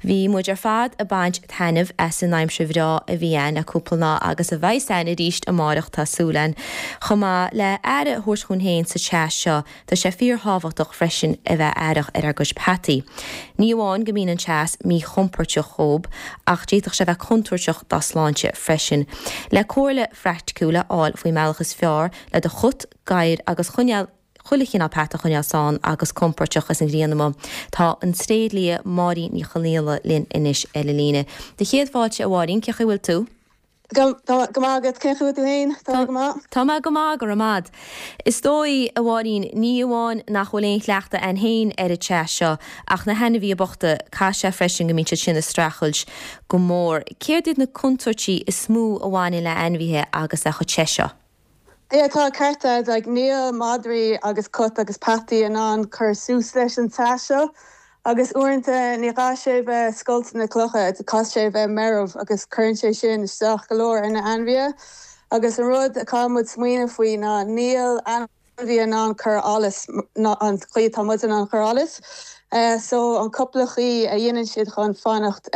Bhí muid ar fad ag baint taitneamh as an aimsir bhreá a bhí ann le cúpla lá agus a bheas ann arís amáireach tá súil ann. Chomh maith le aire a thabhairt dhúinn féin sa teas seo tá sé fíor-thábhachtach freisin a bheith aireach ar ár gcuid peataí. Ní amháin go mbíonn an teas míchompóirteach dhób ach d'fhéadfadh sé a bheith contúirteach dá sláinte freisin. Le comhairle phraiticiúil a fháil faoin mbealach is fearr le do chut, gadhar agus choinneáil chuile chineál peata a choinneáil sán agus compóirteach is an ghrian amuigh. Tá an tréidlia Máirín Ní Chonaola linn anois ar an líne. Do chéad fáilte a Mháirín, cén chaoi a bhfuil tú? Go maith agat, cén chaoi a bhfuil tú féin? Tá mé go maith. Tá mé go maith, go raibh maith a'd. Is dóigh, a Mháirín, ní amháin nach bhfuil aon chleachtadh a'inn féin ar an teas seo, ach na hainmhithe bochta, caithfidh sé freisin go mbíonn siad sin ag streachailt go mór. Céard iad na contúirtí is mó a bhaineann le hainmhithe agus é chomh te seo? Yeah tá an ceart a'd, like níl madraí agus cat agus peataí in ann cur suas leis an teas seo agus uaireanta ní gá sé bheith scoilteanna clocha, caithfidh sé bheith meirbh agus cuireann sé sin isteach go leor ar na ainmhithe agus an rud a caithfidh muid smaoineamh faoi ná níl ainmhí in ann cur allas ná an chaoi atá muid in ann cur allas. So an cúpla chaoi a dhéanann siad chun fanacht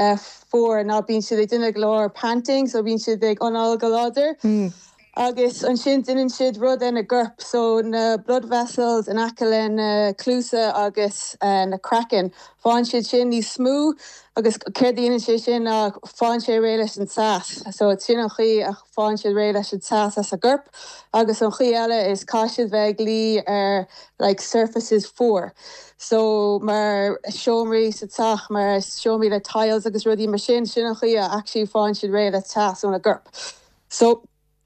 fuar ná bíonn siad ag déanamh go leor panting so bíonn siad ag anáil go láidir. Agus ansin déanann siad rud ar na gcorp, so na blood vessels in aice le na cluasa agus na craiceann, faigheann siad sin níos smooth agus céard a dhéanann sé sin ná faigheann sé réidh leis an teas. So sin an chaoi a faigheann siad réidh leis an teas as a gcorp. Agus an chaoi eile is caithfidh siad bheith ag luí ar like surfaces fuar. So mar seomraí sa teach, mar seomraí le tiles agus rudaí mar sin, sin an chaoi a actually faigheann siad réidh le teas óna gcorp. So,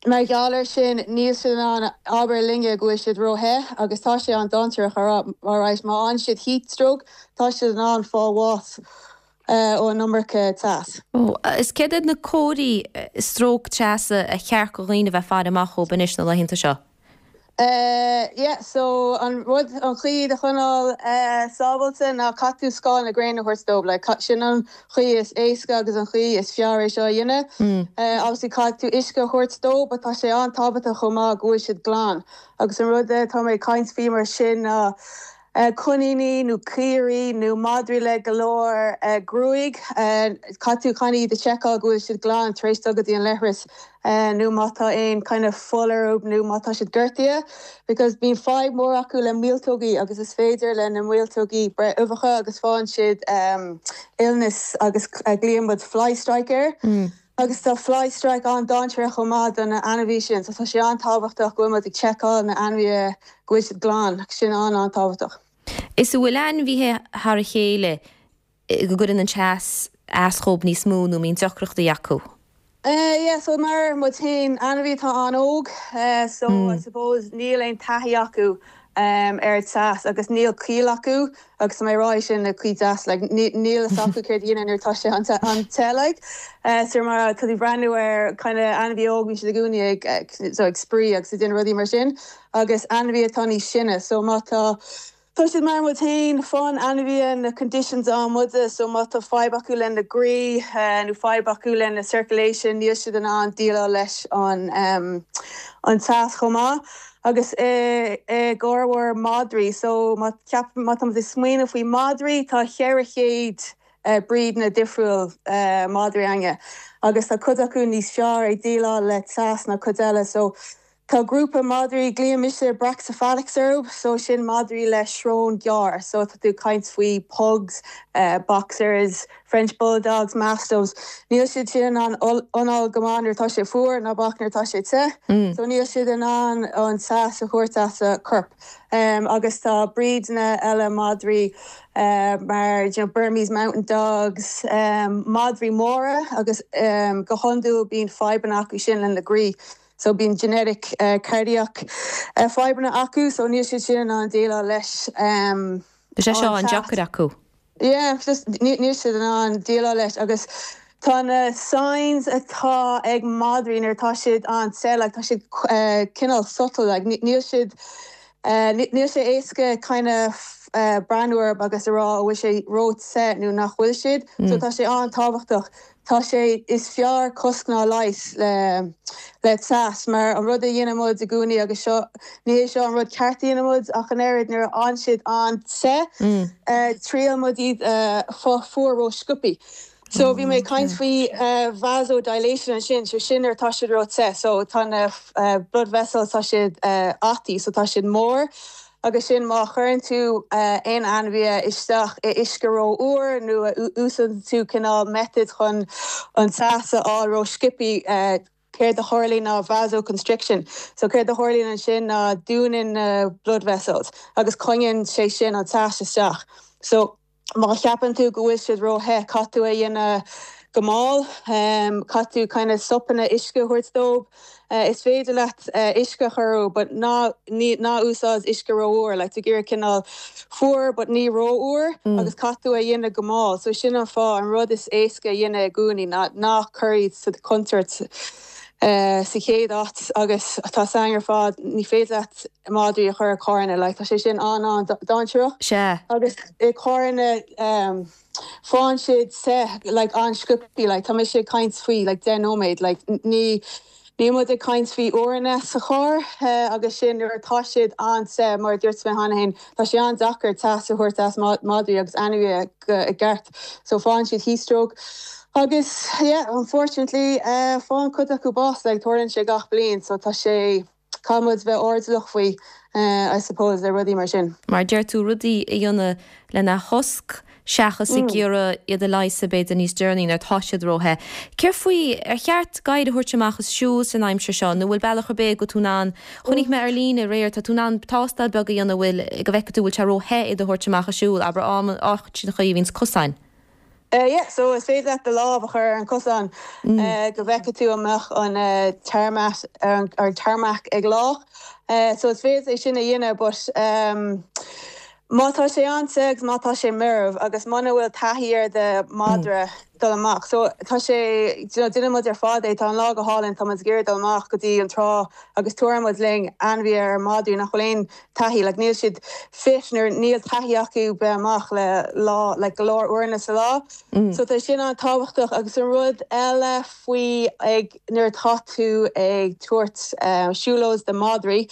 mar gheall air sin, níl siad in ann abair linne go bhfuil siad ró-the agus tá sé an-dainséarach a rá, alright, má fhaigheann siad heat stroke, tá siad in ann fáil bháis ón iomarca teas. Oh, is céard iad na comharthaí stróc teasa ar cheart do dhaoine a bheith ag faire amach dhóibh anois na laethanta seo? Eh yeah so an rud an chaoi iad a choinneáil eh sábháilte ná caithfidh tú scáth na gréine a thabhairt dóibh like sin an chaoi is éasca agus an chaoi is fearr é seo a dhéanamh. Eh obviously caithfidh tú uisce a thabhairt dóibh but tá sé an-tábhachtach chomh maith go bhfuil siad glan agus an rud atá mé ag caint faoi mar sin ná eh coiníní nó caoirigh nó madraí le go leor eh gruaig eh caithfidh tú kind of iad a sheiceáil go bhfuil siad glan tar éis dul go dtí an leithreas. nó má tá aon kind of fuil orthu nó má tá siad gortaithe because bíonn fadhb mór acu le míoltógaí agus is féidir le na míoltógaí breith uibheacha agus faigheann siad illness agus glaonn muid fly strike air agus tá fly strike an-dainséarach chomh maith do na ainmhithe sin so tá sé an-tábhachtach go bhfuil muid ag seiceáil na ainmhithe go bhfuil siad glan sin an-an-tábhachtach. Is an bhfuil ainmhithe thar a chéile go gcuireann an teas as dhóibh níos mó nó mbíonn deacrachtaí acu. Yeah so mar muid féin, ainmhí atá an-óg so I suppose níl aon taithí acu ar an teas agus níl ciall acu agus tá mé ag rá é sin le caoi deas like níl fhios acu céard a dhéanamh nuair atá sé an-te like. So mar tá tú ag breathnú ar kind of ainmhí óg bíonn siad i gcónaí ag so ag spraoi agus ag déanamh rudaí mar sin agus ainmhí atá níos sine so má tá Tá siad mar muid féin, faigheann ainmhithe na conditions a fhaigheann muide, so má tá fadhb acu lena gcroí nó fadhb acu lena circulation níl siad in ann déileáil leis an an teas chomh maith. Agus i gcorrmhór madraí, so má cheap, má tá muid ag smaoineamh faoi madraí, tá 400 breedanna difriúil madraí againne agus tá cuid acu níos fearr ag déileáil le teas ná cuid eile, so Tá grúpa madraí, glaonn mise brachycephalics orthu, so sin madraí le srón gearr, so tá tú ag caint faoi pugs, boxers, French bulldogs, mastiffs, níl siad sin in ann anáil go maith nuair atá sé fuar ná bac nuair atá sé te, so níl siad in ann an teas a thabhairt as a corp. Agus tá breedanna eile madraí mar you know Burmese mountain dogs, madraí móra agus go hiondúil bíonn fadhbanna acu sin lena gcroí. So bíonn genetic cardiac fadhbanna acu so níl siad sin in ann déileáil leis an Tá sé seo an-deacair acu. Yeah, just níl siad in ann déileáil leis agus tá na signs atá ag madraí nuair atá siad an-te like tá siad cineál subtle like níl siad níl sé éasca kind of. breathnú orthu agus a rá an bhfuil sé ró-the nó nach bhfuil siad. So tá sé an-tábhachtach. Tá sé, is fearr cosc ná leigheas le le teas mar an rud a dhéanann muid i gcónaí agus seo, ní hé seo an rud ceart a dhéanann muid ach an oiread, nuair a fhaigheann siad an-te, triail muid iad a fáil fuar ró-sciobthaí. So bhí mé ag caint faoi vasodilation ansin, so sin nuair atá siad ró-te, so tá na blood vessels, tá siad ataí, so tá siad mór agus sin má chuireann tú aon ainmhithe isteach i uisce ró-fhuar nó a úsáideann tú cineál method chun an teas a fháil ró-sciobthaí, céard a tharlaíonn ná vasoconstriction. So céard a tharlaíonn ansin ná dúnann na blood vessels agus coinníonn sé sin an teas isteach. So. Má cheapann tú go bhfuil siad ró-the, caithfidh tú é a dhéanamh go mall. Caithfidh tú kind of sopanna uisce a thabhairt dóibh. Is féidir leat uisce a chur orthu but ná, ní, ná úsáid uisce ró-fhuar. Like, tú ag iarraidh cineál fuar but ní ró-fhuar agus caithfidh tú é a dhéanamh go mall. So sin an fáth, an rud is éasca a dhéanamh i gcónaí ná ná cuir iad sa chontúirt sa chéad áit agus tá a fhios againn ar fad, ní féidir leat madraí a chur i carranna, like tá sé sin an-an-dainséarach. Sea. Agus i carranna faigheann siad te like an-sciobthaí, like tá mise ag caint faoi like 10 nóiméad, like ní níl muid ag caint faoi uaireanna sa charr agus sin nuair atá siad an-te mar a dúirt mé cheana féin, tá sé an-deacair teas a thabhairt as madraí agus ainmhithe go i gceart so faigheann siad heatstroke agus yeah unfortunately faigheann cuid acu bás like tarlaíonn sé gach bliain so tá sé Caithfidh muid bheith airdeallach faoi, I suppose, le rudaí mar sin. Mar a deir tú, rudaí a dhéanamh lena chosc seachas ag iarraidh iad a leigheasadh b'fhéidir níos deireanaí nuair atá siad ró-the. Céard faoi, ar cheart gadhair a thabhairt amach ag siúl san aimsir seo nó bhfuil bealach ar bith go bhfuil tú in ann, chonaic mé ar líne aréir, tá tú in ann tástáil beag a dhéanamh bhfuil, go bhfeicfidh tú bhfuil sé ró-the iad a thabhairt amach ag siúl, abair áiteachaí a bhíonns cosáin. Yeah, so is féidir leat do lámh a chur ar an cosán go bhfeicfidh tú an mbeadh an tarmac, an tarmac ag leá. So is féidir é sin a dhéanamh but má tá sé an-te agus má tá sé meirbh agus muna bhfuil taithí ar do mhadra dul amach, so tá sé, you know, déanann muid ar fad é, tá an lá go hálainn, tá muid ag iarraidh dul amach go dtí an trá agus tabharann muid linn ainmhithe ar madraí nach bhfuil aon taithí, like níl siad fit nó níl taithí acu bheith amach le lá, like go leor uaireanna sa lá. So tá sin an-tábhachtach agus an rud eile faoi ag nuair atá tú ag tabhairt siúlóid do madraí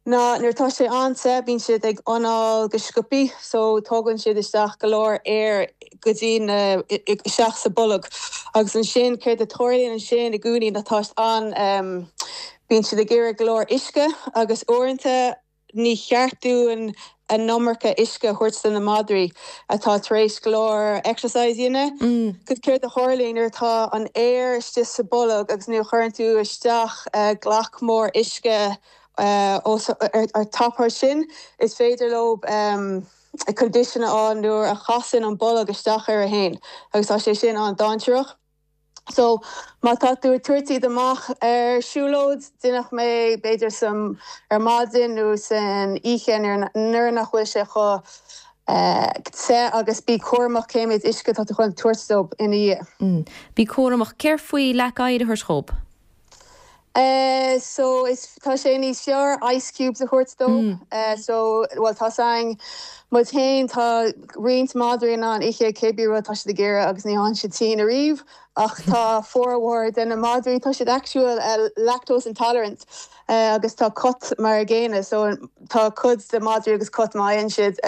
ná nuair atá sé an-te bíonn siad ag anáil go sciobthaí so tógann siad isteach go leor aer go dtí na isteach sa bolg agus ansin céard a tarlaíonn ansin i gcónaí ná tá an Bíonn siad ag iarraidh go leor uisce agus uaireanta ní cheart dúinn an iomarca uisce a thabhairt do na madraí atá tar éis go leor exercise a dhéanamh. Cos céard a tharlaíonn nuair atá an aer istigh sa bolg agus nuair a chuireann tú isteach glac mór uisce os ar top ar sin is féidir leo condition a fháil nuair a chasann an bolg isteach ar a fhéin agus tá sé sin an-dainséarach. So, má tá tú ag tabhairt iad amach ar siúlóid, déanfadh mé b'fhéidir san ar maidin nó san oíche nuair nach bhfuil sé chomh te agus bí cúramach cé méid uisce atá tú chun tabhairt dóibh ina dhiaidh. Bí cúramach. Céard faoi leac oighir a thabhairt dhób? So is tá sé níos fearr ice cubes a thabhairt dóibh. So bhuel tá 's againn muid féin tá roinnt madraí in ann ithe cébí rud tá siad ag iarraidh agus ní fhaigheann siad tinn ariamh ach tá formhór de na madraí tá siad actual lactose intolerant agus tá cat mar a gcéanna so tá cuid de madraí agus cat má fhaigheann siad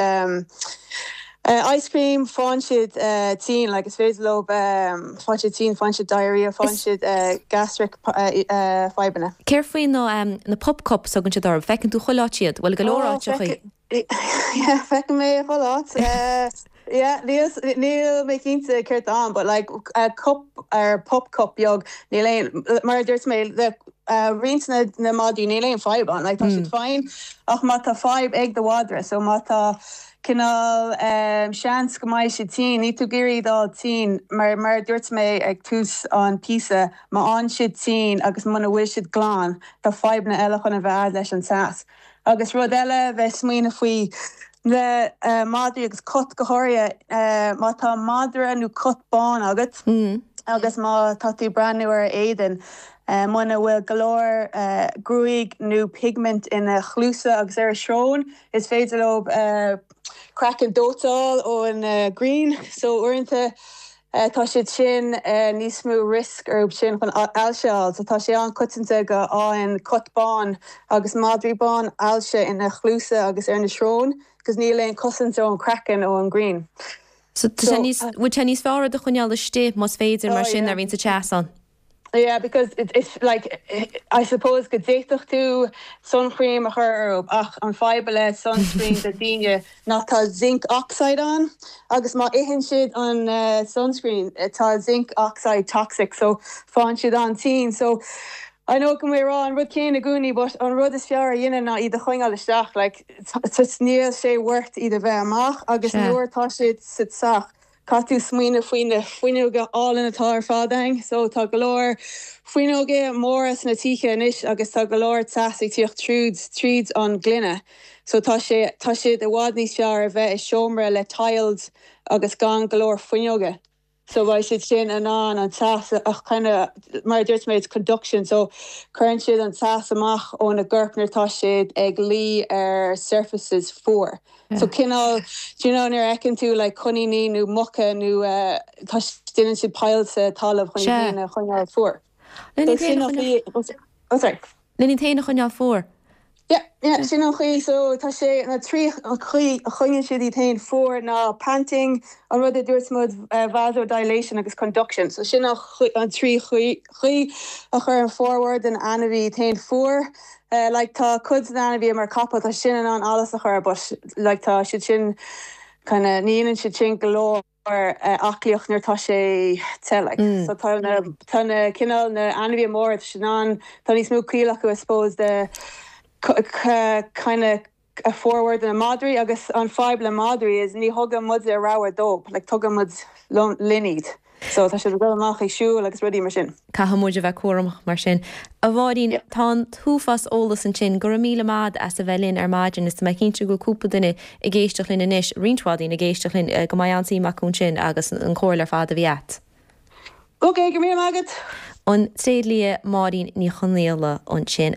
ice cream faigheann siad tinn like is féidir leo faigheann siad tinn faigheann siad diarrhea faigheann siad gastric fadhbanna. Céard faoi na na pup cups a thugann siad orthu? Feiceann tú chuile áit iad, bhuel go leor áiteachaí. Yeah feicim é chuile áit. Yeah níl níl mé cinnte céard tá ann but like cup ar pup cup beag níl aon mar a dúirt mé le roinnt na na madraí níl aon fadhb ann like tá siad fine ach má tá fadhb ag do mhadra so má tá cineál seans go mbeidh siad tinn níl tú ag iarraidh iad a fháil tinn mar mar a dúirt mé ag tús an píosa má fhaigheann siad tinn agus muna bhfuil siad glan tá fadhbanna eile chun a bheith a'd leis an teas. Agus rud eile, bheith ag smaoineamh faoi le madraí agus cat go háirithe, má tá madra nó cat bán agat agus má tá tú ag breathnú ar a éadan. Muna bhfuil go leor gruaig nó pigment ina chluasa agus ar a srón, is féidir leo craiceann dóite a fháil ón ghrian. So uaireanta tá siad sin níos mó risk orthu sin chun ailse a fháil. So tá sé an-coitianta go fhaigheann cat bán agus madraí bán ailse ina chluasa agus ar na srón because níl aon cosaint ón craiceann ón ghrian. So tá sé níos, bhfuil sé níos fearr iad a choinneáil istigh más féidir mar sin nuair a bhíonn sa teas ann? Yeah because it's like I suppose go d'fhéadfadh tú suncream a chur orthu ach an fadhb le sunscreen do daoine ná tá zinc oxide ann agus má itheann siad an sunscreen tá zinc oxide toxic so faigheann siad an-tinn so I know go mbeidh mé ag rá an rud céanna i gcónaí but an rud is fearr a dhéanamh ná iad a choinneáil isteach like níl sé worth iad a bheith amach agus nuair atá siad sa teach Caithfidh tú smaoineamh faoi na fuinneoga álainn atá ar fad ann. So tá go leor fuinneoga móra sna tithe anois agus tá go leor teas ag tíocht tríd tríd an gloine. So tá sé tá siad i bhfad níos fearr a bheith i seomra le tiles agus gan go leor fuinneoga. So beidh siad sin in ann an teas a kind of mar a dúirt mé it's conduction so cuireann siad an teas amach óna gcorp nuair atá siad ag luí ar surfaces fuar. So cineál, do you know nuair a fheiceann tú like coiníní nó muca nó tá, déanann siad poill sa talamh chun iad féin a choinneáil fuar. So sin an chaoi, oh sorry. Len iad féin a choinneáil fuar. Yeah, yeah, sin an chaoi. So tá sé, na trí chaoi a choinníonn siad iad féin fuar ná panting, an rud a dúirt muid, vasodilation agus conduction. So sin an trí chaoi a chuireann formhór den ainmhí iad féin fuar. Like tá cuid de na hainmhithe mar capall tá sin in ann allas a chur but like tá siad sin kind of ní dhéanann siad sin go leor aclaíocht nuair atá sé te like. So tá na tá na cineál na ainmhithe móra tá siad in ann tá níos mó ciall acu I suppose de kind of formhór de na madraí agus an fadhb le madraí is ní thugann muide rogha dóibh like tugann muid linn iad so tá siad ag dul amach ag siúl agus rudaí mar sin. Caithfidh muid a bheith cúramach mar sin. A Mháirín, tá an t-uafás eolas ansin. Go raibh míle maith agat as a bheith linn ar maidin is tá mé cinnte go bhfuil cúpla duine ag éisteacht linn anois, roinnt mhaith daoine ag éisteacht linn, go mbeidh an-suim acu ansin agus an chomhairle ar fad a bhí agat. Ok, go raibh míle maith agat. An tréidlia Máirín Ní Chonaola ansin.